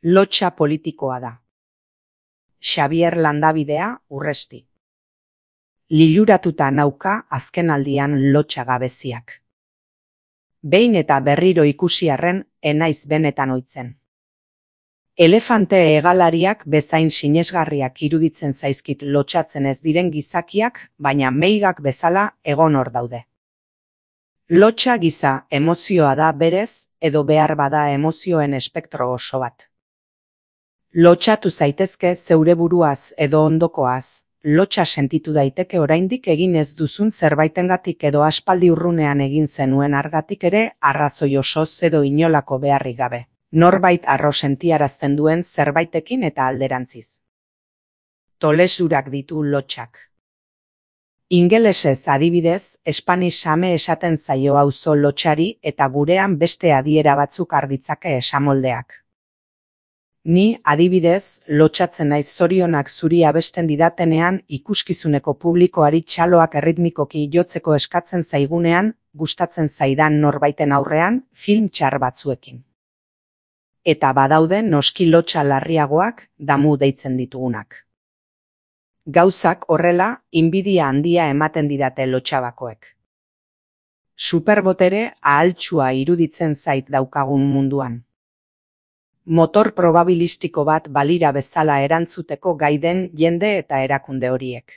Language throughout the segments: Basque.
Lotsa politikoa da. Xabier Landabidea, Urresti. Liluratuta nauka azkenaldian lotsa gabeziak. Behin eta berriro ikusiarren enaiz benetan ohitzen. Elefante hegalariak bezain sinesgarriak iruditzen zaizkit lotsatzen ez diren gizakiak, baina meigak bezala egon hor daude. Lotsa giza emozioa da berez, edo behar bada emozioen espektro oso bat. Lotsatu zaitezke zeure buruaz edo ondokoaz, lotsa sentitu daiteke oraindik egin ez duzun zerbaitengatik edo aspaldi urrunean egin zenuen argatik ere arrazoi osoz edo inolako beharrik gabe. Norbait harro sentiarazten duen zerbaitekin eta alderantziz. Tolesurak ditu lotsak. Ingelesez adibidez, Spanish same esaten zaio auzo lotsari eta gurean beste adiera batzuk arditzake esamoldeak. Ni, adibidez, lotsatzen naiz zorionak zuri abesten didatenean ikuskizuneko publikoari txaloak erritmikoki jotzeko eskatzen zaigunean, gustatzen zaidan norbaiten aurrean, film txar batzuekin. Eta badaude noski lotsa larriagoak, damu deitzen ditugunak. Gauzak horrela, inbidia handia ematen didate lotsabakoek. Superbotere ahaltsua iruditzen zait daukagun munduan. Motor probabilistiko bat balira bezala erantzuteko gai den jende eta erakunde horiek.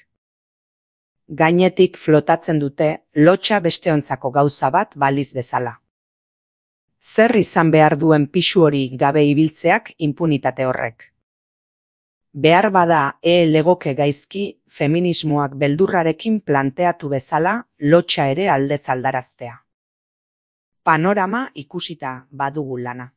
Gainetik flotatzen dute lotsa besteontzako gauza bat baliz bezala. Zer izan behar duen pisu hori gabe ibiltzeak inpunitate horrek. Behar bada legoke gaizki feminismoak beldurrarekin planteatu bezala lotsa ere aldez aldaraztea. Panorama ikusita badugu lana.